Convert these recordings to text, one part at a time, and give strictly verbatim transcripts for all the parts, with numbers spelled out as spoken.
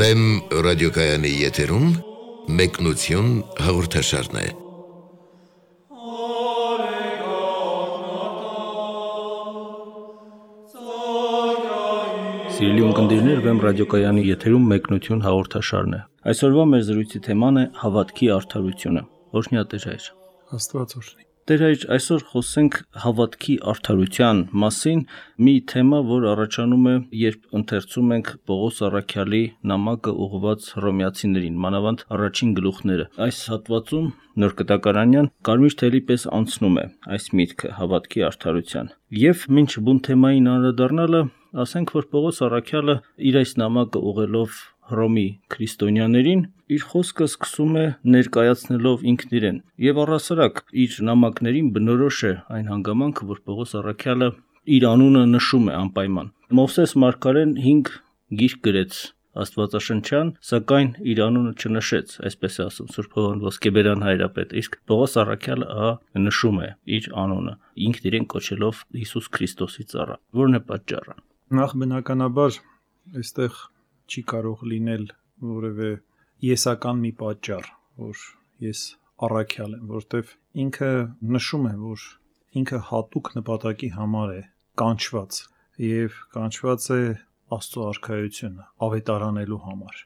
Վեմ ռադիոկայանի եթերում մեկնություն հաղորդաշարն է։ Սիրելի ունկնդիրներ, Վեմ ռադիոկայանի եթերում մեկնություն հաղորդաշարն է։ Այսօրվա մեր զրույցի թեման է հավատքի արդարությունը։ Օրհնյա Տեր հայր։ Աստված օրհնի։ Տեր հայր, այսօր խոսենք հավատքի արդարության մասին, մի թեմա, որ առաջանում է, երբ ընթերցում ենք Պողոս առաքյալի նամակը ուղղված հռոմեացիներին, մանավանդ առաջին գլուխները։ Այս հատվածում Նոր Կտակարանյան կարմիր թելի պես անցնում է այս միտքը հավատքի արդարության։ Եվ մինչ բուն թեմային անդրադառնալը, ասենք, որ Պողոս առաքյալը իր այս նամակը ուղղելով Հռոմի քրիստոնյաներին, իր խոսքը սկսում է ներկայացնելով ինքն իրեն, եւ առհասարակ իր նամակներին բնորոշ է այն հանգամանքը, որ Պողոս առաքյալը իր անունը նշում է անպայման։ Մովսես մարգարեն հինգ գիրք գրեց աստվածաշնչյան, սակայն իր անունը չնշեց, այսպես է ասում Սուրբ Հովհան Ոսկեբերյան հայրապետը, իսկ Պողոս առաքյալը ահա նշում է իր անունը, ինքն իրեն կոչելով Հիսուս Քրիստոսի ծառա։ Որն է պատճառը։ Նախ բնականաբար այստեղ չի կարող լինել որևէ եսական մի պատճառ, որ ես առաքյալ եմ, որտեվ ինքը նշում է, որ ինքը հատուկ նպատակի համար է կանչված եւ կանչված է Աստծո արքայությունը ավետարանելու համար։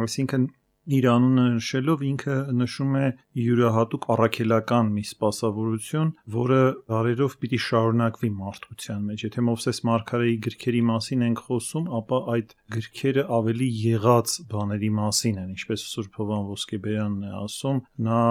Այսինքն իր անունը նշելով ինքը նշում է յուրահատուկ առաքելական մի սպասավորություն, որը դարերով պիտի շարունակվի մարդկության մեջ։ Եթե Մովսես մարգարեի գրքերի մասին ենք խոսում, ապա այդ գրքերը ավելի եղած բաների մասին են, ինչպես Սուրբ Հովհան Ոսկեբերյանն է ասում, նա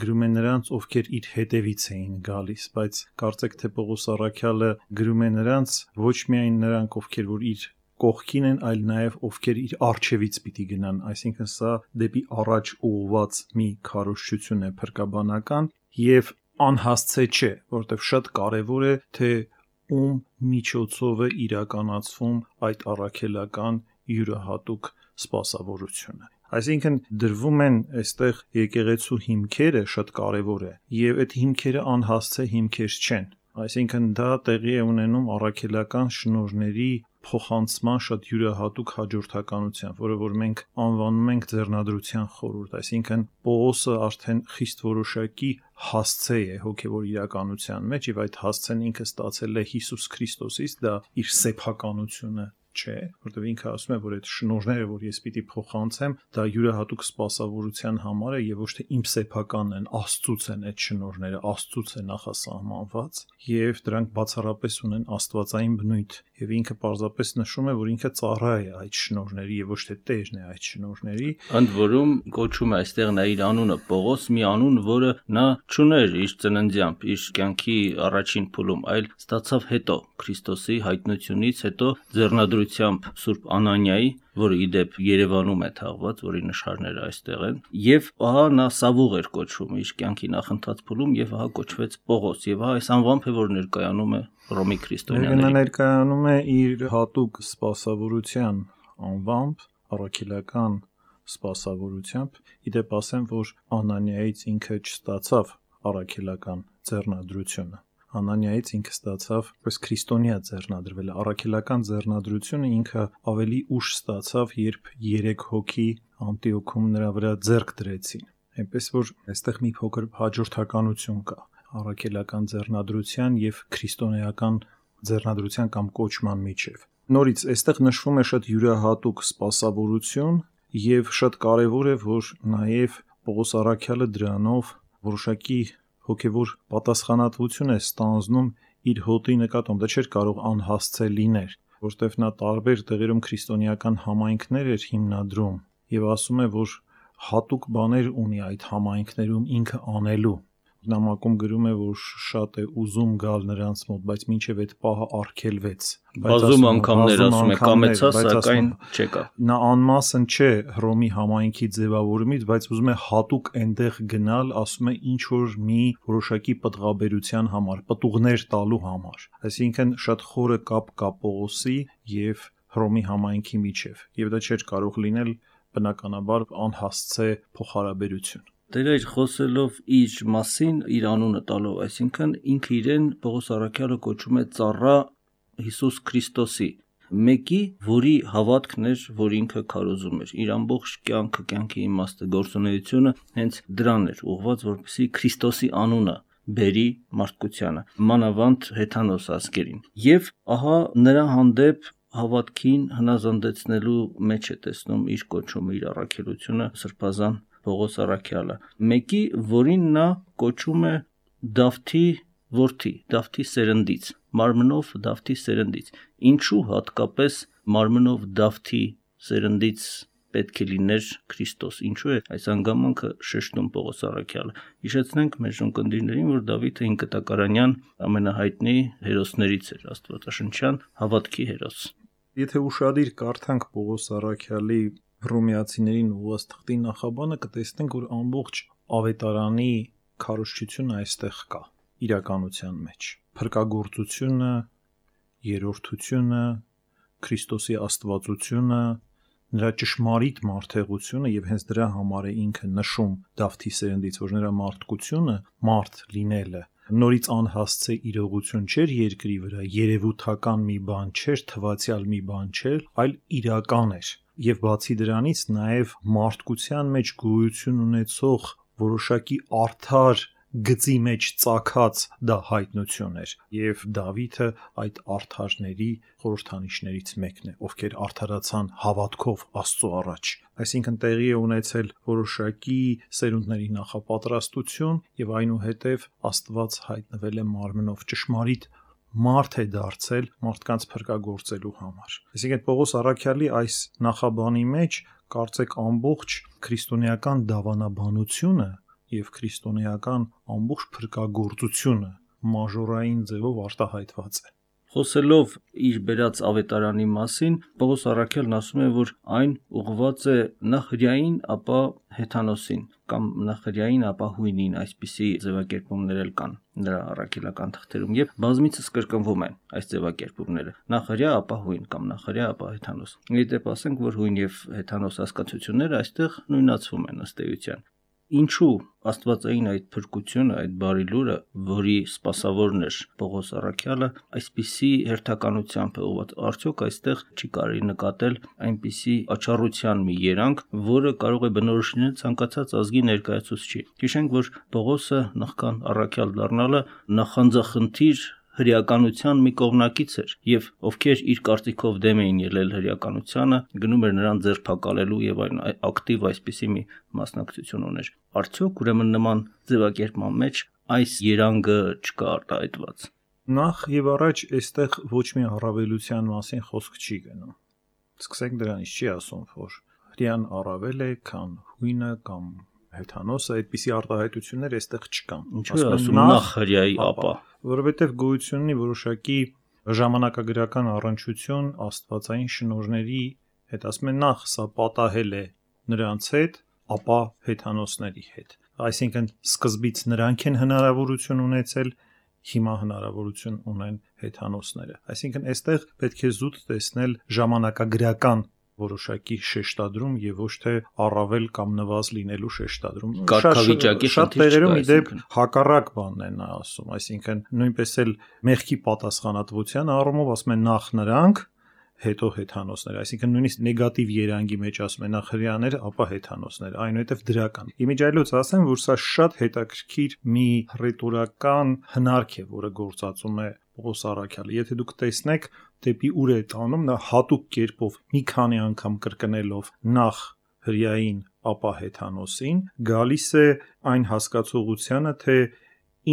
գրում է նրանց, ովքեր իր հետևից էին գալիս, բայց կարծեք թե Պողոս առաքյալը գրում է նրանց, ոչ միայն նրանք, ովքեր որ իր կողքին են, այլ նաև ովքեր իր առջևից պիտի գնան, այսինքն սա դեպի առաջ ուղղված մի քարոզչություն է փրկաբանական եւ անհասցե չէ, որովհետեւ շատ կարեւոր է, թե ում միջոցով է իրականացվում այդ առաքելական յուրահատուկ սպասավորությունը։ Այսինքն դրվում են այստեղ եկեղեցու հիմքերը, շատ կարևոր է, եւ այդ հիմքերը անհասցե հիմքեր չեն։ Այսինքն դա տեղի է ունենում առաքելական շնորհների փոխանցման շատ յուրահատուկ հաջորդականությամբ, որը որ մենք անվանում ենք ձեռնադրության խորհուրդ, այսինքն Պողոսը արդեն խիստ որոշակի հասցե է հոգևոր իրականության մեջ, եւ այդ հասցեն ինքը ստացել է Հիսուս Քրիստոսից, դա իր սեփականությունը չէ, որտեղ ինքը ասում է, որ այդ շնորհները, որ ես պիտի փոխանցեմ, դա յուրահատուկ սպասավորության համար է եւ ոչ թե իմ սեփականն են, Աստծուց են այդ շնորհները, Աստծուց է նախասահմանված եւ դրանք բացառապես ունեն աստվածային բնույթ եւ ինքը պարզապես նշում է, որ ինքը ծառա է այդ շնորհների եւ ոչ թե տերն է այդ շնորհների։ Ընդ որում կոչում է այստեղ նա իր անունը Պողոս, մի անուն, որը նա չուներ իր ծննդյամբ, իր կյանքի առաջին փուլում, այլ ստացավ հետո Քրիստոսի հայտնությունից հետո ձեռնադրությամբ Սուրբ Անանիայի, որը իդեպ Երևանում է թաղված, որի նշանները այստեղ են, եւ ահա նա Սավուղ էր կոչվում իր կյանքի նախընթաց փուլում եւ ահա կոչվեց Պողոս եւ ահա այս անվամբ է, որ ներկայանում է Հռոմի քրիստոնյաներին։ Նա ներկայանում է իր հատուկ սպասավորության անվամբ, առաքելական սպասավորությամբ, իդեպ ասեմ, որ Անանիայից ինքը չստացավ առաքելական ձեռնադրությունը։ Անանիայից ինքը ստացավ պես քրիստոնյա ձեռնադրվել, առաքելական ձեռնադրությունը ինքը ավելի ուշ ստացավ, երբ երեք հոգի Անտիոքում նրա վրա ձեռք դրեցին։ Այնպես որ այստեղ մի փոքր հաջորդականություն կա առաքելական ձեռնադրության եւ քրիստոնեական ձեռնադրության կամ կոչման միջև։ Նորից այստեղ նշվում է շատ յուրահատուկ սպասավորություն եւ շատ կարեւոր է, որ նաեւ Պողոս առաքյալը դրանով որոշակի հոգևոր պատասխանատվություն է ստանձնում իր հոտի նկատմամբ, դա չէր կարող անհասցե լիներ, որտեղ նա տարբեր տեղերում քրիստոնեական համայնքներ էր հիմնադրում եւ ասում է, որ հատուկ բաներ ունի այդ համայնքներում ինքը անելու։ Նամակում գրում է, որ շատ է ուզում գալ նրանց մոտ, բայց մինչև այդ պահը արգելվեց։ Բազում անգամներ ասում է կամեցա, սակայն չեկա։ Նա անմասն չէ Հռոմի համայնքի ձևավորումից, բայց ուզում է հատուկ այնտեղ գնալ, ասում է ինչ որ մի որոշակի պտղաբերության համար, պտուղներ տալու համար։ Այսինքն շատ խորը կապ կա Պողոսի եւ Հռոմի համայնքի միջև, եւ դա չէր կարող լինել բնականաբար անհասցե փոխհարաբերություն։ Տեր այր խոսելով իր մասին, իր անունը տալով, այսինքն ինքը իրեն Պողոս առաքյալը կոչում է ծառա Հիսուս Քրիստոսի, մեկի, որի հավատքն էր, որ ինքը քարոզում էր։ Իր ամբողջ կյանքը, կյանքի իմաստը, գործունեությունը հենց դրան էր ուղղված, որպեսզի Քրիստոսի անունը բերի մարդկությանը, մանավանդ հեթանոս ազգերին։ Եվ ահա նրա հանդեպ հավատքին հնազանդեցնելու մեջ է տեսնում իր կոչումը, իր առաքելությունը Սրբազան Պողոս առաքյալը, մեկի, որին նա կոչում է Դավթի որդի, Դավթի սերնդից, մարմնով Դավթի սերնդից։ Ինչու հատկապես մարմնով Դավթի սերնդից պետք է լիներ Քրիստոս, ինչու է այս անգամանքը շեշտում Պողոս առաքյալը։ Հիշեցնենք մեր ունկնդիրներին, որ Դավիթը հինկտակարանյան ամենահայտնի հերոսներից էր, աստվածաշնչյան հավատքի հերոս։ Եթե ուշադիր կարդանք Պողոս առաքյալի Հռոմեացիներին ուղղված թղթի նախաբանը, կտեսնենք, որ ամբողջ ավետարանի քարոզչությունը այստեղ կա իրականության մեջ։ Փրկagorցությունը, երրորդությունը, Քրիստոսի աստվածությունը, նրա ճշմարիտ մարդեղությունը եւ հենց դրա համար է ինքը նշում Դավթի սերնդից, որ նրա մարդկությունը, մարդ լինելը նորից անհասցե իրողություն չէր երկրի վրա, երևութական մի բան չէր, թվացial մի բան չէր, այլ իրական էր։ Եվ բացի դրանից նաև մարդկության մեջ գոյություն ունեցող որոշակի արդար գծի մեջ ծագած դա հայտնություն էր, եւ Դավիթը այդ արդարների խորհրդանիշներից մեկն է, ովքեր արդարացան հավատքով Աստծո առաջ։ Այսինքն տեղի է ունեցել որոշակի սերունդների նախապատրաստություն եւ այնուհետեւ Աստված հայտնվել է մարմնով, ճշմարիտ մարդ է դարձել մարդկանց փրկagorցելու համար։ Այսինքն Պողոս առաքյալի այս նախաբանի մեջ կարծեք ամբողջ քրիստոնեական դավանաբանությունը եւ քրիստոնեական ամբողջ փրկagorցությունը մաժորային ձևով արտահայտված է։ Խոսելով իր բերած ավետարանի մասին, Պողոս առաքյալն ասում է, որ այն ուղղված է նախ հրեային, ապա հեթանոսին, կամ նախ հրեային, ապա հույնին, այսպիսի ձևակերպումներ էլ կան նրա առաքելական թղթերում, եւ բազմիցս կրկնվում են այս ձևակերպումները։ Նախ հրեա, ապա հույն, կամ նախ հրեա, ապա հեթանոս։ Իդեպ ասենք, որ հույն եւ հեթանոս հասկացությունները այստեղ նույնացվում են ըստ էության։ Ինչու աստվածային այդ փրկությունը, այդ բարի լուրը, որի սպասավորն էր Պողոս առաքյալը, այսպիսի հերթականությամբ է ուղղված, արդյոք այստեղ չի կարելի նկատել այնպիսի աչառության մի երանգ, որը կարող է բնորոշ լինել ցանկացած ազգի ներկայացուցչի։ Հիշենք, որ Պողոսը նախքան առաքյալ դառնալը նախանձախնդիր հրեականության մի կողմնակից էր, եւ ովքեր իր կարծիքով դեմ էին ելել հրեականությանը, գնում էր նրան ձերբակալելու եւ այն ակտիվ այսպիսի մի մասնակցություն ուներ։ Արդյոք ուրեմն նման ձևակերպման մեջ այս երանգը չկա արտահայտված։ Նախ եւ առաջ այստեղ ոչ մի առավելության մասին խոսք չի գնում։ Սկսենք դրանից, չի ասում, որ հրեան առավել է, քան հույնը կամ հեթանոսը, այդպիսի արտահայտություններ այստեղ չկան։ Ինչու է ասում նախ հրեայի, ապա, որովհետև գոյություն ունի որոշակի ժամանակագրական առնչություն աստվածային շնորհների հետ, ասում են նախ սա պատահել է նրանց հետ, ապա հեթանոսների հետ։ Այսինքն սկզբից նրանք են հնարավորություն ունեցել, հիմա հնարավորություն ունեն հեթանոսները։ Այսինքն այստեղ պետք է զուտ տեսնել ժամանակագրական որոշակի շեշտադրում եւ ոչ թե առավել կամ նվազ լինելու շեշտադրում։ Կարգավիճակի շատ տեղերում իդեպ հակառակ բանն է նա ասում, այսինքն նույնպես էլ մեղքի պատասխանատվության առումով ասում են նախ նրանք, հետո հեթանոսները, այսինքն նույնիսկ նեգատիվ երանգի մեջ ասում են նախ հրեաները, ապա հեթանոսները, այնուհետև դրական։ Իմիջայլոց ասեմ, որ սա շատ հետաքրքիր մի ռետորական հնարք է, որը գործածում է Պողոս առաքյալը։ Եթե դուք տեսնեք, դեպի ուր է տանում, նա հատուկ կերպով մի քանի անգամ կրկնելով նախ հրեային, ապա հեթանոսին, գալիս է այն հասկացողությանը, թե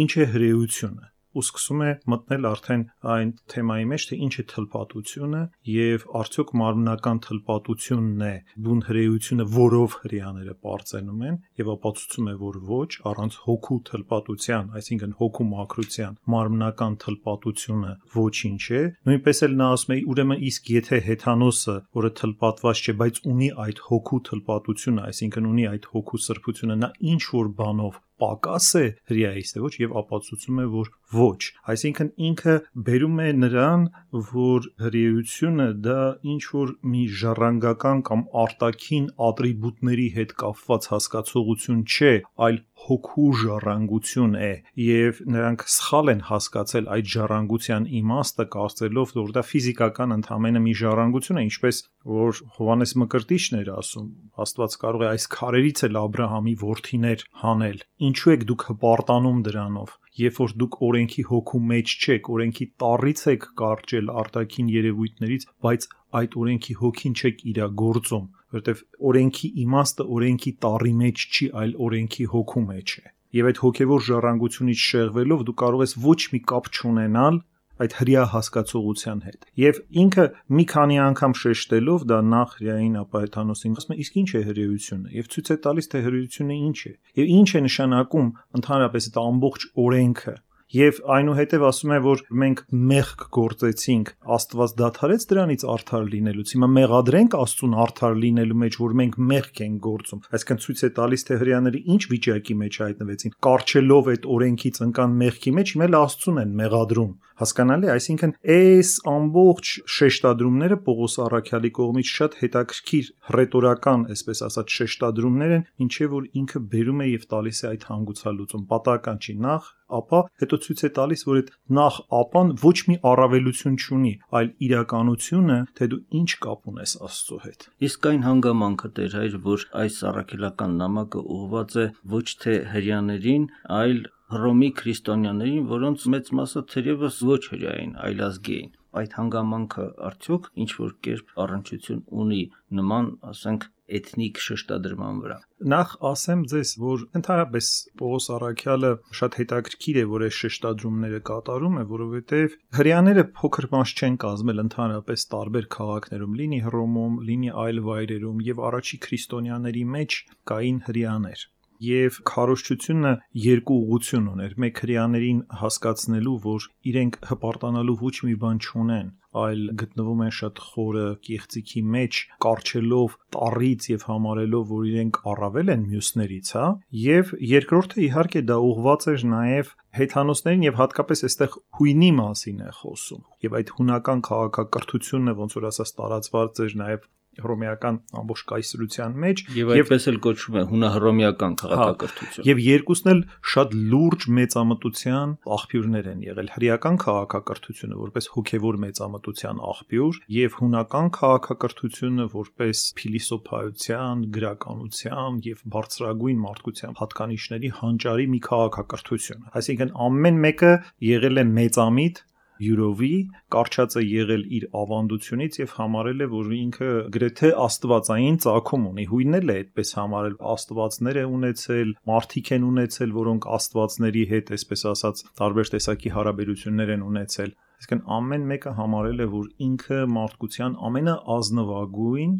ինչ է հրեությունը, ու սկսում է մտնել արդեն այն թեմայի մեջ, թե ինչ է թլպատությունը եւ արդյոք մարմնական թլպատությունն է բուն հրեությունը, որով հրեաները պարծենում են, եւ ապացուցում է, որ ոչ, առանց հոգու թլպատության, այսինքն հոգու մաքրության մարմնական թլպատությունը ոչինչ է։ Նույնպես էլ նա ասում է, ուրեմն իսկ եթե հեթանոսը, որը թլպատված չէ, բայց ունի այդ հոգու թլպատությունը, այսինքն ունի այդ հոգու սրբությունը, նա ինչ որ բանով պակաս է հրեայից, թե ոչ, եւ ապացուցում է, որ ոչ։ Այսինքն ինքը բերում է նրան, որ հրեությունը դա ինչ որ մի ժառանգական կամ արտաքին ատրիբուտների հետ կապված հասկացողություն չէ, այլ հոգու ժառանգություն է, եւ նրանք սխալ են հասկացել այդ ժառանգության իմաստը, կարծելով, որ դա ֆիզիկական ընդհանրապես մի ժառանգություն է, ինչպես որ Հովհաննես Մկրտիչն էր ասում, Աստված կարող է այս քարերից էլ Աբրահամի որդիներ հանել։ Ինչու եք դուք հպարտանում դրանով, երբ որ դուք օրենքի հոգու մեջ չեք, օրենքի տառից եք կարճել արտաքին երևույթներից, բայց այդ օրենքի հոգին չեք իրագործում, որովհետև օրենքի իմաստը օրենքի տառի մեջ չի, այլ օրենքի հոգու մեջ է։ Եվ այդ հոգևոր ժառանգությունից շեղվելով դու կարող ես ոչ մի կապ չունենալ այդ հրյա հասկացողության հետ։ Եւ ինքը մի քանի անգամ շեշտելով դա նախ հրյային, ապա Հեթանոսին ասում է, իսկ ինչ է հրեությունը, եւ ցույց է տալիս, թե հրեությունը ինչ է, եւ ինչ է նշանակում ընդհանրապես այդ ամբողջ օրենքը։ Եվ այնուհետև ասում է, որ մենք մեղք գործեցինք, Աստված դադարեց դրանից արդար լինելուց։ Հիմա մեղադրենք Աստծուն արդար լինելու մեջ, որ մենք մեղք ենք գործում։ Այսինքն ցույց է տալիս, թե հրեաները ինչ վիճակի մեջ հայտնվեցին։ Կարճելով այդ օրենքից ընկան մեղքի մեջ, հիմա էլ Աստծուն են մեղադրում։ Հասկանալի, այսինքն այս ամբողջ շեշտադրումները Պողոս առաքյալի կողմից շատ հետաքրքիր հռետորական, այսպես ասած, շեշտադրումներ են, ինչեւ որ ինքը բերում է եւ տալիս է այդ հանգուցալուծում։ Պատահական չի նախ, ապա հետո ցույց է տալիս, որ այդ նախ ապան ոչ մի առավելություն չունի, այլ իրականությունը, թե դու ինչ կապ ունես Աստծո հետ։ Իսկ այն հանգամանքը Տեր հայր, որ այս առաքելական նամակը ուղղված է ոչ թե հրեաներին, այլ Հռոմի քրիստոնյաներին, որոնց մեծ մասը թերևս ոչ հրեային, այլ ազգի էին։ Այդ հանգամանքը արդյոք ինչ որ կերպ առնչություն ունի նման, ասենք, էթնիկ շեշտադրման վրա։ Նախ ասեմ ձեզ, որ ընդհանրապես Պողոս առաքյալը շատ հետաքրքիր է, որ այս շեշտադրումները կատարում է, որովհետև հրեաները փոքր մաս չեն կազմել ընդհանրապես տարբեր քաղաքներում, լինի Հռոմում, լինի այլ վայրերում, եւ առաջի քրիստոնյաների մեջ կային հրեաներ։ Եվ քարոզչությունը երկու ուղղություն ուներ, մեկ հրեաներին հասկացնելու, որ իրենք հպարտանալու ոչ մի բան չունեն, այլ գտնվում են շատ խորը կեղծիքի մեջ, կարճելով տառից եւ համարելով, որ իրենք առավել են մյուսներից, հա։ Եվ երկրորդը իհարկե դա ուղղված էր նաեւ հեթանոսներին եւ հատկապես այստեղ հույնի մասին է խոսում։ Եվ այդ հունական քաղաքակրթությունը ոնց որ ասած տարածված էր նաեւ հռոմեական ամբողջ կայսրության մեջ եւ այդպես էլ կոչվում է հունահռոմեական քաղաքակրթություն։ Եվ երկուսն էլ շատ լուրջ մեծամտության աղբյուրներ են եղել։ Հրեական քաղաքակրթությունը որպես հոգևոր մեծամտության աղբյուր եւ հունական քաղաքակրթությունը որպես փիլիսոփայության, գրականության եւ բարձրագույն մարդկության հատկանիշների հանճարի մի քաղաքակրթություն։ Այսինքն ամեն մեկը եղել է մեծամիտ յուրովի, կարճած է եղել իր ավանդությունից եւ համարել է, որ ինքը գրեթե աստվածային ծագում ունի։ Հույնն էլ է այդպես համարել, աստվածներ է ունեցել, մարդիկ են ունեցել, որոնք աստվածների հետ, այսպես ասած, տարբեր տեսակի հարաբերություններ են ունեցել։ Այսինքն ամեն մեկը համարել է, որ ինքը մարդկության ամենաազնվագույն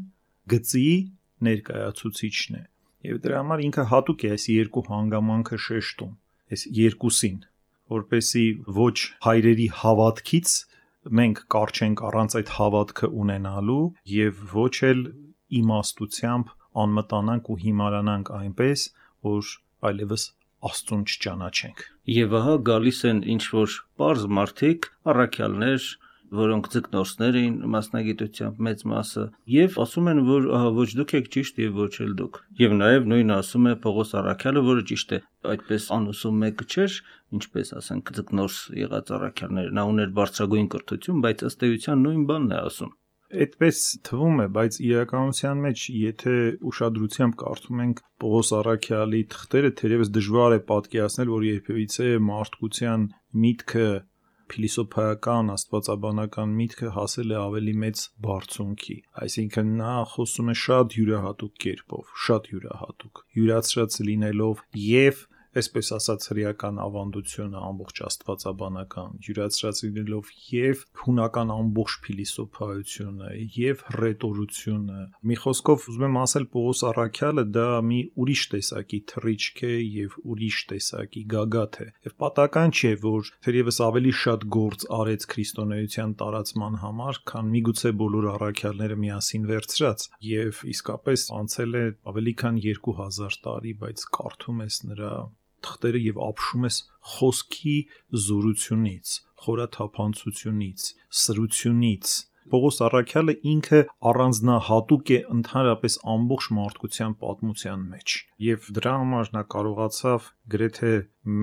գծի ներկայացուցիչն է։ Եվ դրա համար ինքը հատուկ է այս երկու հանգամանքը շեշտում, այս երկուսին, որպեսի ոչ հայրերի հավատքից մենք կարճենք առանց այդ հավատքը ունենալու եւ ոչ էլ իմաստությամբ անմտանանք ու հիմարանանք այնպես, որ այլևս Աստծուն չճանաչենք։ Եվ ահա գալիս են ինչ որ པարզ մարդիկ, առաքյալներ, որոնք ձկնորսներ էին մասնագիտությամբ մեծ մասը, եւ ասում են, որ ահա ոչ դուք եք ճիշտ եւ ոչ էլ դուք։ Եվ նաեւ նույնը ասում է Պողոս առաքյալը, որը ճիշտ է, այդպես անուսում մեկը չէր, ինչպես ասենք ձկնորս եղած առաքյալները, նա ուներ բարձրագույն կրթություն, բայց ըստ էության նույն բանն է ասում։ Այդպես թվում է, բայց իրականության մեջ, եթե ուշադրությամբ կարդում ենք Պողոս առաքյալի թղթերը, թերևս դժվար է պատկերացնել, որ երբևիցե մարդկության միտքը փիլիսոփայական, աստվածաբանական միտքը հասել է ավելի մեծ բարձունքի։ Այսինքն նա խոսում է շատ յուրահատուկ կերպով, շատ յուրահատուկ, յուրացրած լինելով եւ այսպես ասած հրեական ավանդությունը ամբողջ աստվածաբանական յուրացրած լինելով եւ հունական ամբողջ փիլիսոփայությունը եւ հռետորությունը։ Մի խոսքով ուզում եմ ասել Պողոս առաքյալը դա մի ուրիշ տեսակի թռիչք է եւ ուրիշ տեսակի գագաթ է։ Եվ պատահական չէ, որ թերևս ավելի շատ գործ արեց քրիստոնեության տարածման համար, քան միգուցե բոլոր առաքյալները միասին վերցրած։ Եվ իսկապես անցել է ավելի քան երկու հազար տարի, բայց կարդում ես նրա թղթերը եւ ապշում ես խոսքի զորությունից, խորաթափանցությունից, սրությունից։ Պողոս Առաքյալը ինքը առանձնահատուկ է ընդհանրապես ամբողջ մարդկության պատմության մեջ եւ դրա համար նա կարողացավ գրեթե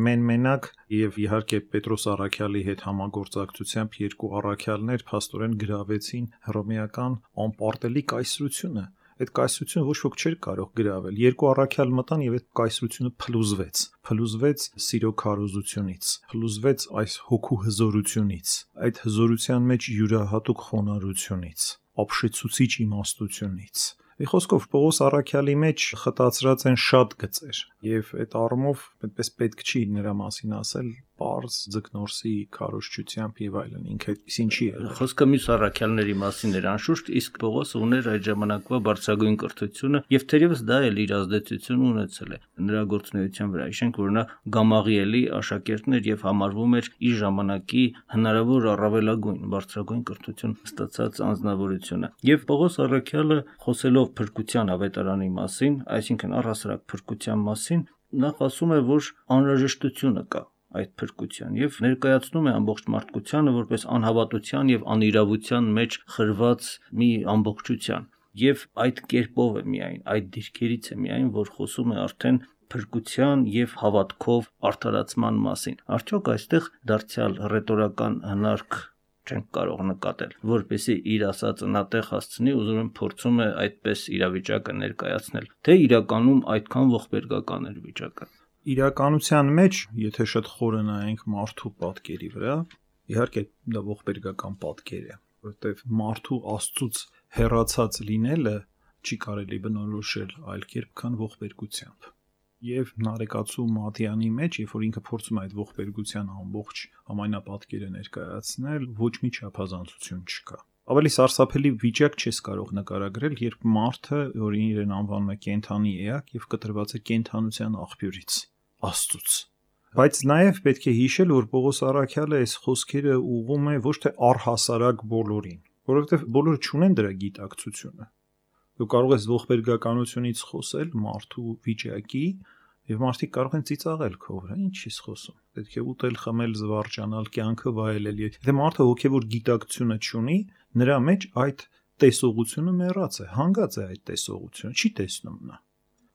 մեն-մենակ եւ իհարկե Պետրոս Առաքյալի հետ համագործակցությամբ երկու առաքյալներ փաստորեն գրավեցին հռոմեական անպարտելի կայսրությունը։ Այդ կայսրությունը ոչ ոք չէր կարող գրավել։ Երկու առաքյալ մտան եւ այդ կայսրությունը փլուզվեց։ Փլուզվեց սիրո քարոզությունից, փլուզվեց այս հոգու հզորությունից, այդ հզորության մեջ յուրահատուկ խոնարհությունից, ապշեցուցիչ իմաստությունից։ Մի խոսքով Պողոս Առաքյալի մեջ խտացրած են շատ գծեր եւ այդ առումով այդպես պետք չի նրա մասին ասել պարզ ձկնորսի քարոզչությամբ եւ այլն, ինքը ինչի է։ Խոսքը մյուս առաքյալների մասին էր անշուշտ, իսկ Պողոսը ուներ այդ ժամանակվա բարձրագույն կրթությունը եւ թերևս դա էլ իր ազդեցությունը ունեցել է նրա գործունեության վրա։ Հիշենք, որ նա Գամաղիելի աշակերտն էր եւ համարվում էր իր ժամանակի հնարավոր առավելագույն բարձրագույն կրթություն ստացած անձնավորությունը։ Եվ Պողոս Առաքյալը խոսելով փրկության ավետարանի մասին, այսինքն առհասարակ փրկության մասին, նա ասում է, որ անհրաժեշտությունը կա այդ փրկության եւ ներկայացնում է ամբողջ մարդկությանը որպես անհավատության եւ անիրավության մեջ խրված մի ամբողջության եւ այդ կերպով է միայն այդ դիրքերից է միայն որ խոսում է արդեն փրկության եւ հավատքով արդարացման մասին։ Արդյոք այստեղ դարձյալ ռետորական հնարք չենք կարող նկատել, որպեսզի իր ասածը նատեղ հասցնի, ուզում եմ փորձում է այդպես իրավիճակը ներկայացնել, թե իրականում այդքան ողբերգական էր վիճակը։ Իրականության մեջ, եթե շատ խորը նայենք մարդու պատկերի վրա, իհարկե դա ողբերգական պատկեր է, որովհետև մարդու Աստծուց հեռացած լինելը չի կարելի բնորոշել այլ կերպ, քան ողբերգությամբ։ Եվ Նարեկացու Մատյանի մեջ, երբ որ ինքը փորձում է այդ ողբերգության ամբողջ համայնապատկերը ներկայացնել, ոչ մի չափազանցություն չկա։ Ավելի սարսափելի վիճակ չես կարող նկարագրել, երբ մարդը, որ իրեն անվանում է կենդանի էակ եւ կտրված է կենդանության աղբյուրից, Աստծուց։ Բայց նաեւ պետք է հիշել, որ Պողոս Առաքյալը այս խոսքերը ուղղում է ոչ թե առհասարակ բոլորին, որովհետեւ բոլորը չունեն դրա գիտակցությունը։ Դու կարող ես ողբերգականությունից խոսել մարդու վիճակի եւ մարդիկ կարող են ծիծաղել քո վրա, ինչ ես խոսում։ Պետք է ուտել, խմել, զվարճանալ, կյանքը վայելել։ Եթե մարդը հոգեվոր գիտակցությունը չունի, նրա մեջ այդ տեսողությունը մեռած է, հանգած է այդ տեսողությունը, չի տեսնում նա։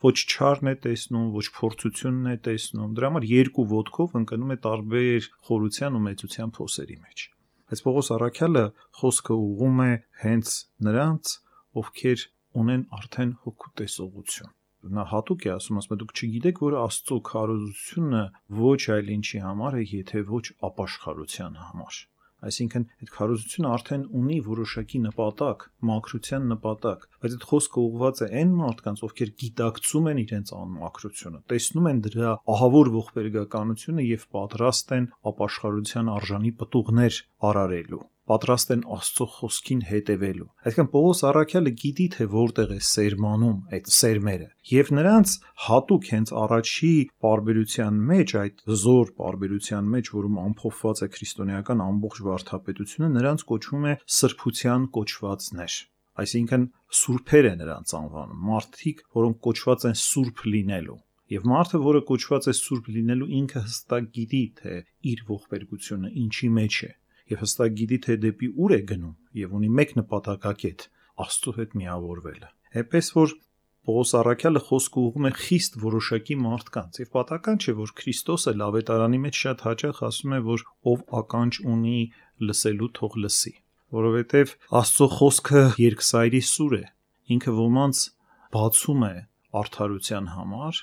Ոչ չարն է տեսնում, ոչ փորձությունն է տեսնում։ Դրա համար երկու ոտքով ընկնում է տարբեր խորության ու մեծության փոսերի մեջ։ Այս Պողոս Առաքյալը խոսքը ուղղում է հենց նրանց, ովքեր ունեն արդեն հոգու տեսողություն։ Նա հատուկ է ասում, ասում է դուք չգիտեք, որ Աստծո քարոզությունը ոչ այլ ինչի համար է, եթե ոչ ապաշխարության համար։ Այսինքն այդ քարոզությունը արդեն ունի որոշակի նպատակ, մաքրության նպատակ, բայց այդ խոսքը ուղղված է այն մարդկանց, ովքեր գիտակցում են իրենց անմաքրությունը, տեսնում են դրա ահավոր ողբերգականությունը եւ պատրաստ են ապաշխարության արժանի պտուղներ արարելու, պատրաստ են Աստծո խոսքին հետևելու։ Այսինքն Պողոս Առաքյալը գիտի, թե որտեղ է սերմանում այդ սերմերը, եւ նրանց հատուկ հենց առաջի պարբերության մեջ, այդ զոր պարբերության մեջ, որում ամփոփված է քրիստոնեական ամբողջ վարդապետությունը, նրանց կոչվում է սրբության կոչվածներ։ Այսինքն սուրբեր է նրանց անվանում, մարդիկ, որոնք կոչված են սուրբ լինելու։ Եվ մարդը, որը կոչված է սուրբ լինելու, ինքը հստակ գիտի, թե իր ողբերգությունը ինչի մեջ է, եւ հստակ գիտի, թե դեպի ուր է գնում, եւ ունի մեկ նպատակակետ՝ Աստծո հետ միավորվելը։ Այնպես որ Պողոս Առաքյալը խոսքը ուղղում է խիստ որոշակի մարդկանց, եւ պատահական չէ, որ Քրիստոսը Ավետարանի մեջ շատ հաճախ ասում է, որ ով ականջ ունի լսելու, թող լսի, որովհետեւ Աստծո խոսքը երկսայրի սուր է, ինքը ոմանց բացում է արդարության համար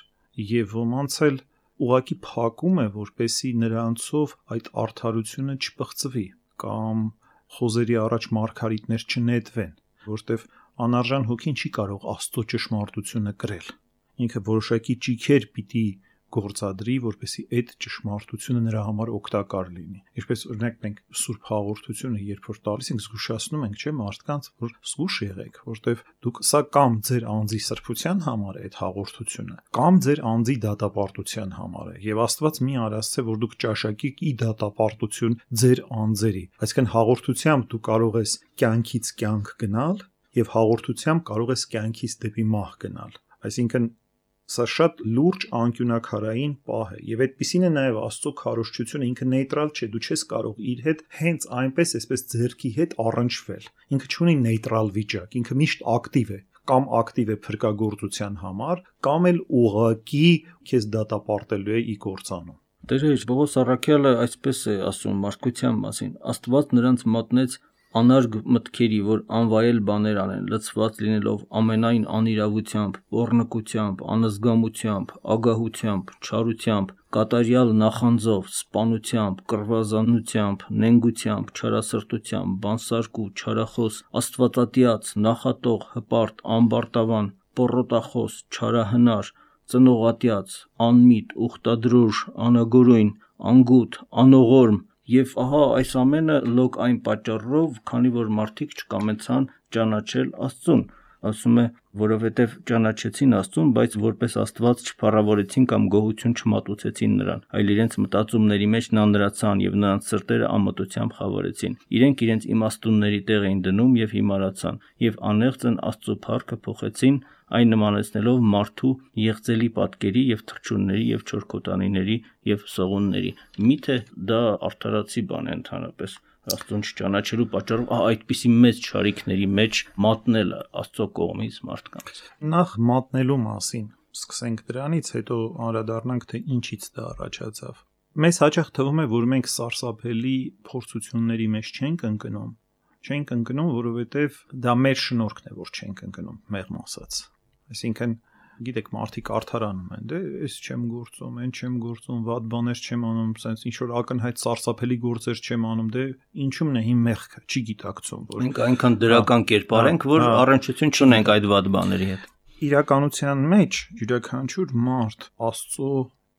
եւ ոմանց էլ ուղղակի փակում է, որպեսի նրանցով այդ արդարությունը չպղծվի կամ խոզերի առաջ մարգարիտներ չնետվեն, որտեվ անարժան հոգին չի կարող Աստծո ճշմարտությունը կրել։ Ինքը որոշակի ճիքեր պիտի գործադրի, որպեսի այդ ճշմարտությունը նրա համար օգտակար լինի։ Ինչպես օրինակ մենք Սուրբ Հաղորդությունը երբ որ տալիս ենք, զգուշացնում ենք, չէ՞, մարդկանց, որ զգուշ եղեք, որտեվ դուք սա կամ ձեր անձի սրբության համար է այդ հաղորդությունը, կամ ձեր անձի դատապարտության համար է։ Եվ Աստված մի արասցե, որ դուք ճաշակեք ի դատապարտություն ձեր անձերի։ Այսինքն հաղորդությամբ դու կարող ես կյանքից կյանք գնալ եւ հաղորդությամբ կարող ես կյանքից դեպի մահ գնալ։ Այսինքն Սա շատ լուրջ անկյունակարային պահ է եւ այդպիսին է նաեւ Աստծո քարոզչությունը, ինքը նեյտրալ չէ, դու չես կարող իր հետ հենց այնպես այսպես ձեռքի հետ առնչվել։ Ինքը չունի նեյտրալ վիճակ, ինքը միշտ ակտիվ է, կամ ակտիվ է փրկagorցության համար, կամ էլ ուղղակի քեզ դատապարտելու է ի կործանում։ Տեր Պողոս առաքյալը այսպես է ասում մարդկության մասին. Աստված նրանց մատնեց անարգ մտքերի, որ անվայել բաներ անեն, լցված լինելով ամենայն անիրավությամբ, պոռնկությամբ, անզգամությամբ, ագահությամբ, չարությամբ, կատարյալ նախանձով, սպանությամբ, կռվազանությամբ, նենգությամբ, չարասրտությամբ, բանսարկու, չարախոս, աստվածատիաց, նախատող, հպարտ, ամբարտավան, պոռոտախոս, չարահնար, ծնողատիաց, անմիտ, ուխտադրուժ, անագորույն, անգութ, անողորմ, եւ ահա այս ամենը լոկ այն պատճառով, քանի որ մարդիկ չկամեցան ճանաչել Աստծուն, ասում է, որովհետեւ ճանաչեցին Աստծուն, բայց որպես Աստված չփառավորեցին կամ գոհություն չմատուցեցին նրան, այլ իրենց մտածումների մեջ նա նրացան եւ նրանց սրտերը ամտությամբ խավարեցին։ Իրենք իրենց իմաստունների տեղ էին դնում եւ հիմարացան, եւ անեղծն Աստծո փառքը փոխեցին, այն նմանեցնելով մարդու եղծելի պատկերի եւ թռչունների եւ չորքոտանիների եւ սողունների։ Միթե դա արդարացի բան է ընդհանրապես Աստծուն չճանաչելու պատճառով այդպիսի մեծ չարիքների մեջ մատնելը Աստծո կողմից մարդկանց։ Նախ մատնելու մասին սկսենք դրանից, հետո անդրադառնանք, թե ինչից դա առաջացավ։ Մեզ հաճախ թվում է, որ մենք սարսափելի փորձությունների մեջ չենք ընկնում, չենք ընկնում, որովհետև դա մեր շնորհքն է, որ չենք ընկնում, մեղմ ասած։ Այսինքն, գիտեք, մարդիկ արդարանում են, դե ես չեմ գործում, այն չեմ գործում, վատ բաներ չեմ անում, sense ինչ որ ակնհայտ սարսափելի գործեր չեմ անում, դե ինչու՞մն է իմ մեղքը, չի գիտակցում, որ մենք այնքան դրական կերպար ենք, որ առնչություն չունենք այդ վատ բաների հետ։ Իրականության մեջ յուրաքանչյուր մարդ Աստծո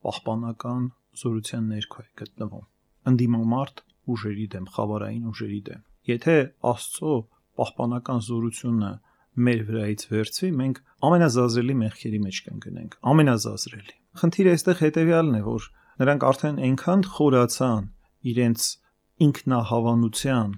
պահպանական զորության ներքո է գտնվում։ Ընդդիմամարդ ուժերի դեմ, խավարային ուժերի դեմ։ Եթե Աստծո պահպանական զորությունը մեր վրայից վերցվի, մենք ամենազազրելի մեղքերի մեջ կընկնենք, ամենազազրելի։ Խնդիրը այստեղ հետևյալն է, որ նրանք արդեն այնքան խորացան իրենց ինքնահավանության,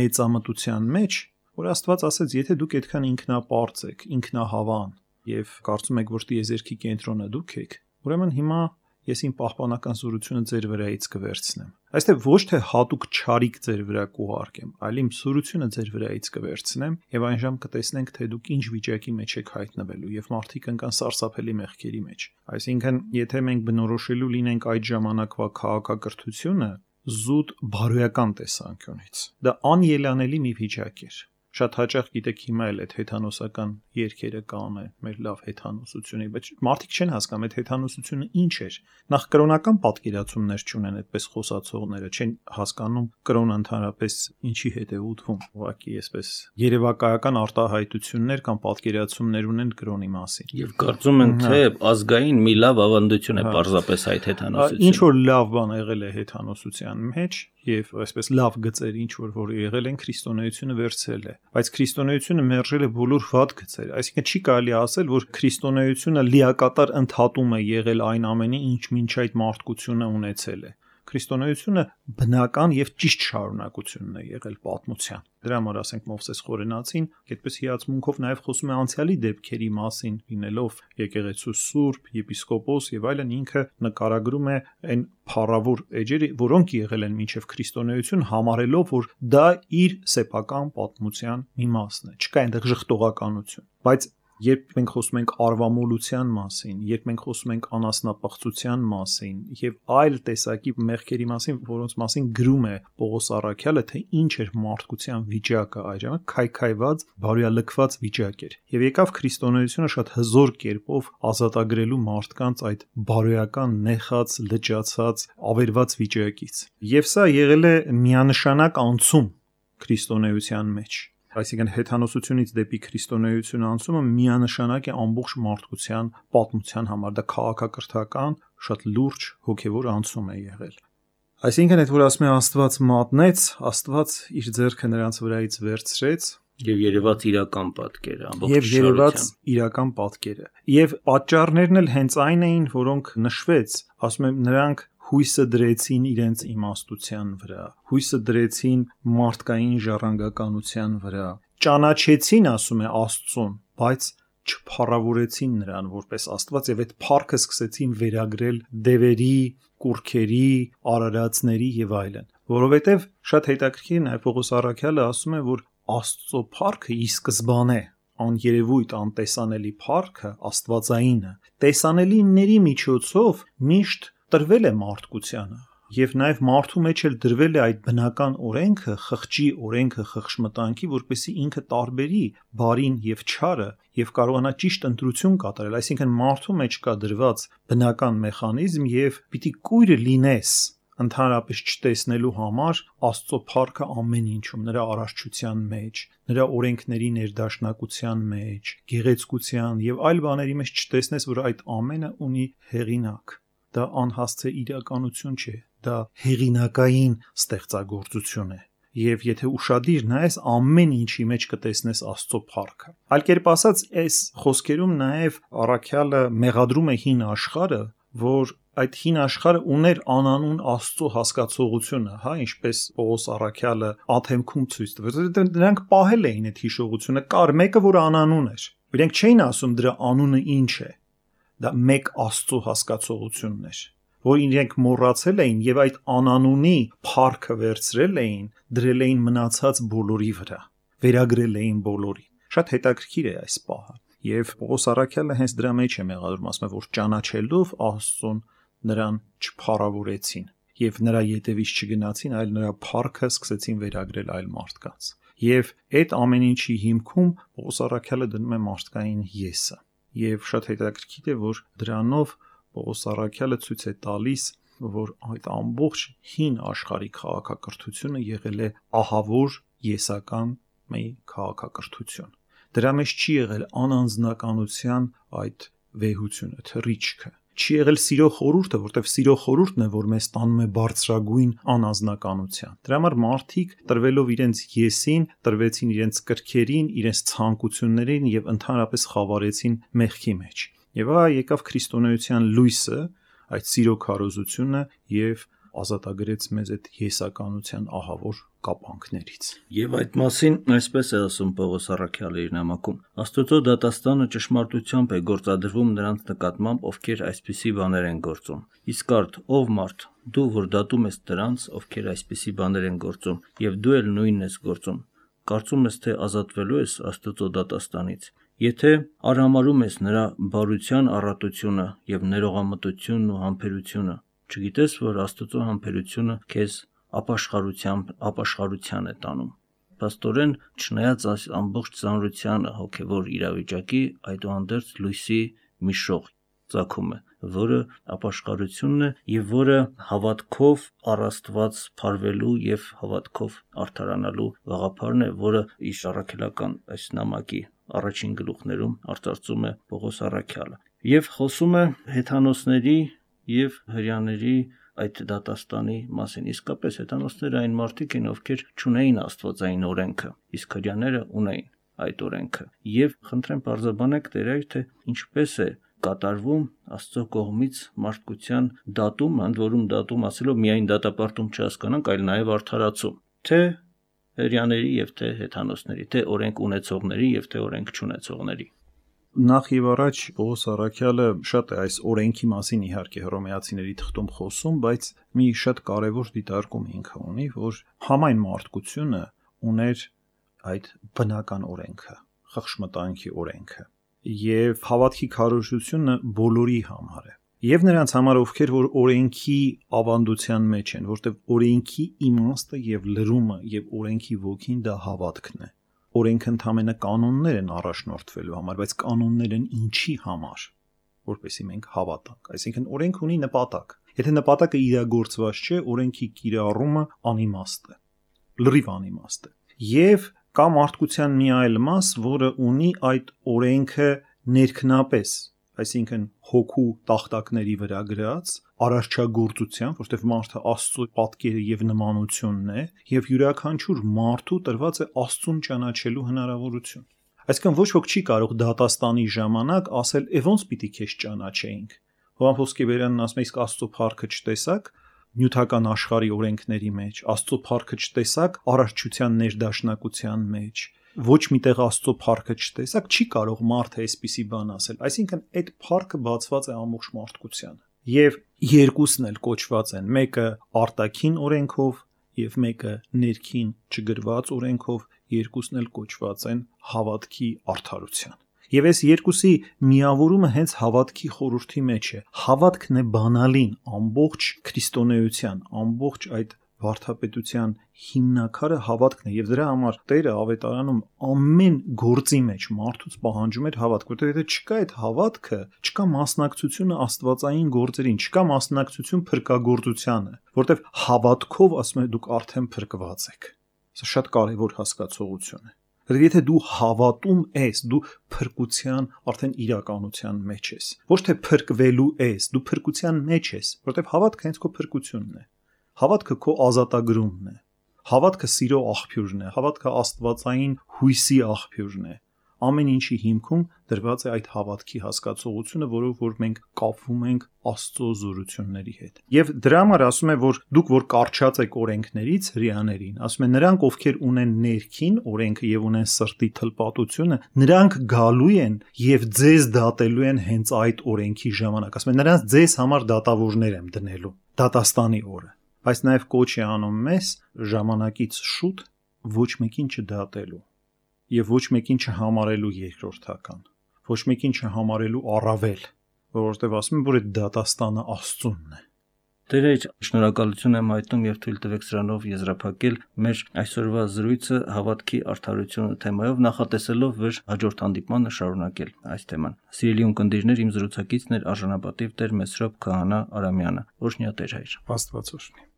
մեծամտության մեջ, որ Աստված ասեց, եթե դուք այդքան ինքնապարծ եք, ինքնահավան եւ կարծում եք, որ տիեզերքի կենտրոնը դուք եք, ուրեմն հիմա ես իմ պահպանական զորությունը ձեր վրայից կվերցնեմ։ Այստեղ ոչ թե հատուկ չարիք ձեր վրա կուղարկեմ, այլ իմ զորությունը ձեր վրայից կվերցնեմ եւ այն ժամ կտեսնենք, թե դուք ինչ վիճակի մեջ եք հայտնվելու եւ մարդիկ ընկան սարսափելի մեղքերի մեջ։ Այսինքն, եթե մենք բնորոշելու լինենք այդ ժամանակվա քաղաքակրթությունը զուտ բարոյական տեսանկյունից, դա անելանելի մի վիճակ էր։ Շատ հաճախ գիտեք հիմա էլ այդ հեթանոսական երգերը կան է, մեր լավ հեթանոսությունը, բայց մարդիկ չեն հասկանում այդ հեթանոսությունը ինչ էր։ Նախ կրոնական պատկերացումներ չունեն այդպես խոսացողները, չեն հասկանում կրոնը ընդհանրապես ինչի հետ է ուտվում։ Ուղղակի այսպես երևակայական արտահայտություններ կամ պատկերացումներ ունեն կրոնի մասին։ Եվ կարծում են, թե ազգային մի լավ ավանդություն է պարզապես այդ հեթանոսությունը։ Ինչ որ լավ բան եղել է հեթանոսության մեջ եւ այսպես լավ գծեր ինչ որ որ եղել են, քրիստոնեությունը վերցրել է, բայց քրիստոնեությունը մերժել է բոլոր վատ գծեր, այսինքն չի կարելի ասել, որ քրիստոնեությունը լիակատար ընդհատում է եղել այն ամենի, ինչ մինչ այդ մարդկությունը ունեցել է։ Քրիստոնեությունը բնական եւ ճիշտ շարունակությունն է եղել պատմության։ Դրա համար ասենք Մովսես Խորենացին այդպես հիացմունքով նաեւ խոսում է անցյալի դեպքերի մասին, լինելով եկեղեցու սուրբ, եպիսկոպոս եւ այլն, ինքը նկարագրում է այն փառավոր էջերը, որոնք եղել են մինչեւ քրիստոնեություն, համարելով, որ դա իր սեփական պատմության մի մասն է։ Չկա այնտեղ ժխտողականություն, բայց երբ մենք խոսում ենք արվամոլության մասին, երբ մենք խոսում ենք անասնապղծության մասին եւ այլ տեսակի մեղքերի մասին, որոնց մասին գրում է Պողոս առաքյալը, թե ինչ էր մարդկության վիճակը այդ ժամանակ, քայքայված, բարոյալքված վիճակ էր։ Եվ եկավ քրիստոնեությունը շատ հզոր կերպով ազատագրելու մարդկանց այդ բարոյական, նեխած, լճացած, ավերված վիճակից։ Եվ սա եղել է միանշանակ անցում քրիստոնեության մեջ։ Այսինքն հեթանոսությունից դեպի քրիստոնեություն անցումը միանշանակ է ամբողջ մարդկության պատմության համար, դա քաղաքակրթական շատ լուրջ հոգևոր անցում է եղել։ Այսինքն այդ որ ասում է Աստված մատնեց, Աստված իր ձեռքը նրանց վրայից վերցրեց եւ երևաց իրական պատկերը, ամբողջ եւ երևաց իրական պատկերը։ Եվ պատճառներն էլ հենց այն էին, որոնք նշվեց, ասում եմ, նրանք հույսը դրեցին իրենց իմաստության վրա, հույսը դրեցին մարդկային ժառանգականության վրա, ճանաչեցին, ասում է, Աստծուն, բայց չփառավորեցին նրան որպես Աստված եւ այդ փառքը սկսեցին վերագրել դևերի, կուրքերի, արարածների եւ այլն, որովհետեւ շատ հետաքրքիր է, նաեւ Պողոս առաքյալը ասում է, որ Աստծո փառքը ի սկզբանե աներևույթ, անտեսանելի փառքը, աստվածայինը, տեսանելիների միջոցով միշտ տրվել է մարդկությանը, եւ նաեւ մարդու մեջ էլ դրվել է այդ բնական օրենքը, խղճի օրենքը, խղճմտանքի, որպեսզի ինքը տարբերի բարին եւ չարը եւ կարողանա ճիշտ ընտրություն կատարել, այսինքն մարդու մեջ կա դրված բնական մեխանիզմ եւ պիտի կույրը լինես ընդհանրապես չտեսնելու համար Աստծո փառքը ամեն ինչում, նրա արարչության մեջ, նրա օրենքների ներդաշնակության մեջ, գեղեցկության եւ այլ բաների մեջ չտեսնես, որ այդ ամենը ունի հեղինակ։ Դա անհասցե իրականություն չէ, դա հեղինակային ստեղծագործություն է։ Եվ եթե ուշադիր նայես, ամեն ինչի մեջ կտեսնես Աստծո փառքը։ Այլ կերպ ասած, այս խոսքերում նաեւ առաքյալը մեղադրում է հին աշխարհը, որ այդ հին աշխարհը ուներ անանուն Աստծո հասկացողությունը, հա, ինչպես Պողոս առաքյալը աթեմքում ցույց տվեց, որովհետեւ նրանք պահել էին այդ հիշողությունը, կար մեկը, որ անանուն էր։ Իրենք չէին ասում դրա անունը ինչ է։ Դա մեկ Աստծո հասկացողությունն էր, որ իրենք մոռացել էին եւ այդ անանունի փառքը վերցրել էին, դրել էին մնացած բոլորի վրա, վերագրել էին բոլորին։ Շատ հետաքրքիր է այս պահը։ Եվ Պողոս առաքյալը հենց դրա մեջ է մեղադրում, ասում է, որ ճանաչելով Աստծուն նրան չփառավորեցին եւ նրա ետևից չգնացին, այլ նրա փառքը սկսեցին վերագրել այլ մարդկանց։ Եվ այդ ամեն ինչի հիմքում Պողոս առաքյալը դնում է մարդկային եսը։ Եվ շատ հետաքրքիր է, որ դրանով Պողոս առաքյալը ցույց է տալիս, որ այդ ամբողջ հին աշխարհի քաղաքակրթությունը եղել է ահավոր եսական մի քաղաքակրթություն։ Դրա մեջ չի եղել անանձնականության այդ վեհությունը, թռիչքը։ Չի եղել սիրո խորհուրդը, որտեղ սիրո խորհուրդն է, որ մեզ տանում է բարձրագույն անանձնականության։ Դրա համար մարդիկ տրվելով իրենց եսին, տրվեցին իրենց կրքերին, իրենց ցանկություններին եւ ընդհանրապես խավարեցին մեղքի մեջ։ Եվ ահա եկավ քրիստոնեության լույսը, այդ սիրո քարոզությունը եւ ազատագրեց մեզ այդ եսականության ահավոր կապանքներից։ Եվ այդ մասին այսպես է ասում Պողոս առաքյալը իր նամակում. Աստծո դատաստանը ճշմարտությամբ է գործադրվում նրանց նկատմամբ, ովքեր այսպիսի բաներ են գործում։ Իսկ արդ ով մարդ, դու որ դատում ես դրանց, ովքեր այսպիսի բաներ են գործում, եւ դու էլ նույնն ես գործում, կարծում ես թե ազատվելու ես Աստծո դատաստանից։ Եթե արհամարում ես նրա բարության առատությունը եւ ներողամտությունն ու համբերությունը, չգիտես, որ Աստծո համբերությունը քեզ ապաշխարությամբ ապաշխարության է տանում։ Պաստորեն, չնայած այս ամբողջ ծանրությանը հոգևոր իրավիճակի, այդուհանդերձ լույսի մի շող ծագում է, որը ապաշխարությունն է եւ որը հավատքով առ Աստված փարվելու եւ հավատքով արդարանալու գաղափարն է, որը իր առաքելական այս նամակի առաջին գլուխներում արծարծում է Պողոս առաքյալը եւ խոսում է հեթանոսների եւ հրյաների այդ դատաստանի մասին։ Իսկապես հեթանոսները այն մարդիկ են, ովքեր չունեին աստվածային օրենքը, իսկ հրյաները ունեին այդ օրենքը։ Եվ խնդրեմ բարձրաբանեք Տերայր, թե ինչպես է կատարվում Աստծո կողմից մարդկության դատում, ընդ որում դատում ասելով միայն դատապարտում չհասկանանք, այլ նաեւ արդարացում, թե հրյաների եւ թե հեթանոսների, թե օրենք ունեցողների եւ թե օրենք չունեցողների։ Նախ եւ առաջ Պողոս առաքյալը շատ է այս օրենքի մասին իհարկե հռոմեացիների թղթում խոսում, բայց մի շատ կարևոր դիտարկում ինքը ունի, որ համայն մարդկությունը ուներ այդ բնական օրենքը, խղճմտանքի օրենքը, եւ հավատքի քարոզությունը բոլորի համար է։ Եվ նրանց համար, ովքեր որ օրենքի ավանդության մեջ են, որտեղ օրենքի իմաստը եւ լրումը եւ օրենքի ոգին դա հավատքն է։ Օրենքը ընդհանրապես կանոններ են առաջնորդվելու համար, բայց կանոններ են ինչի համար, որպեսզի մենք հավատանք։ Այսինքն օրենք ունի նպատակ։ Եթե նպատակը իրագործված չէ, օրենքի կիրառումը անիմաստ է, լրիվ անիմաստ է։ Եվ կա մարդկության մի այլ մաս, որը ունի այդ օրենքը ներքնապես, այսինքն հոգու տախտակների վրա գրած արարչագործության, որտեղ մարդը Աստծո պատկերը եւ նմանությունն է, եւ յուրաքանչյուր մարդու տրված է Աստծուն ճանաչելու հնարավորություն։ Այսինքն ոչ ոք չի կարող դատաստանի ժամանակ ասել, «Է ոնց պիտի քեզ ճանաչեինք»։ Հովհան Փոսկեբերյանն ասում է, իսկ Աստծո փառքը չտեսակ նյութական աշխարհի օրենքների մեջ, Աստծո փառքը չտեսակ արարչության ներդաշնակության մեջ, ոչ միտեղ Աստծո փառքը չտեսակ, չի կարող մարդը այսպիսի բան ասել։ Այսինքն այդ փառքը բացված է ամբողջ մարդկությանը։ Եվ երկուսն էլ կոչված են, մեկը արտաքին օրենքով եւ մեկը ներքին չգրված օրենքով, երկուսն էլ կոչված են հավատքի արդարության։ Եվ այս երկուսի միավորումը հենց հավատքի խորհրդի մեջ է։ Հավատքն է բանալին ամբողջ քրիստոնեության, ամբողջ այդ վարդապետության հիմնակարը հավատքն է, եւ դրա համար Տերը ավետարանում ամեն գործի մեջ մարդուց պահանջում էր հավատք, որտեղ եթե չկա այդ հավատքը, չկա մասնակցությունը աստվածային գործերին, չկա մասնակցություն փրկagorցությանը, որտեղ հավատքով ասում է դուք արդեն փրկված եք։ Սա շատ կարևոր հասկացողություն է։ Եթե դու հավատում ես, դու փրկության արդեն իրականության մեջ ես։ Ոչ թե փրկվելու ես, դու փրկության մեջ ես, որտեղ հավատքը հենց քո փրկությունն է։ Հավատքը քո ազատագրումն է։ Հավատքը սիրո աղբյուրն է, հավատքը աստվածային հույսի աղբյուրն է։ Ամեն ինչի հիմքում դրված է այդ հավատքի հասկացողությունը, որով որ մենք կապվում ենք Աստծո զորությունների հետ։ Եվ դրա համար ասում է, որ դուք որ կարճած եք օրենքներից հрьяաներին, ասում է նրանք, ովքեր ունեն ներքին օրենքը եւ ունեն սրտի թլպատությունը, նրանք գալու են եւ ձեզ դատելու են հենց այդ օրենքի ժամանակ։ Ասում է նրանց ձեզ համար դատավորներ եմ դնելու դատաստանի օրը։ Բայց նաեւ կոչ է անում մեզ ժամանակից շուտ ոչ մեկին չդատելու եւ ոչ մեկին չհամարելու երկրորդական, ոչ մեկին չհամարելու առավել, որովհետեւ ասում եմ, որ այդ դատաստանը Աստծունն է։ Տեր, շնորհակալություն եմ հայտնում եւ թույլ տվեք սրանով եզրափակել մեր այսօրվա զրույցը հավատքի արդարությունը թեմայով, նախատեսելով որ հաջորդ հանդիպմանը շարունակել այս թեման։ Սիրելի ունկնդիրներ, իմ զրուցակիցն էր արժանապատիվ Տեր Մեսրոպ Քահանա Արամյանը։ Օրհնյա Տեր հայր։ Աստված օրհնի։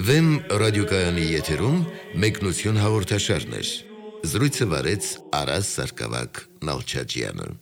Վեմ ռադիոկայանի եթերում մեկնություն հաղորդաշարներ։ Զրույցը վարեց Արաս Սարգսակյան Նալչաջյանը։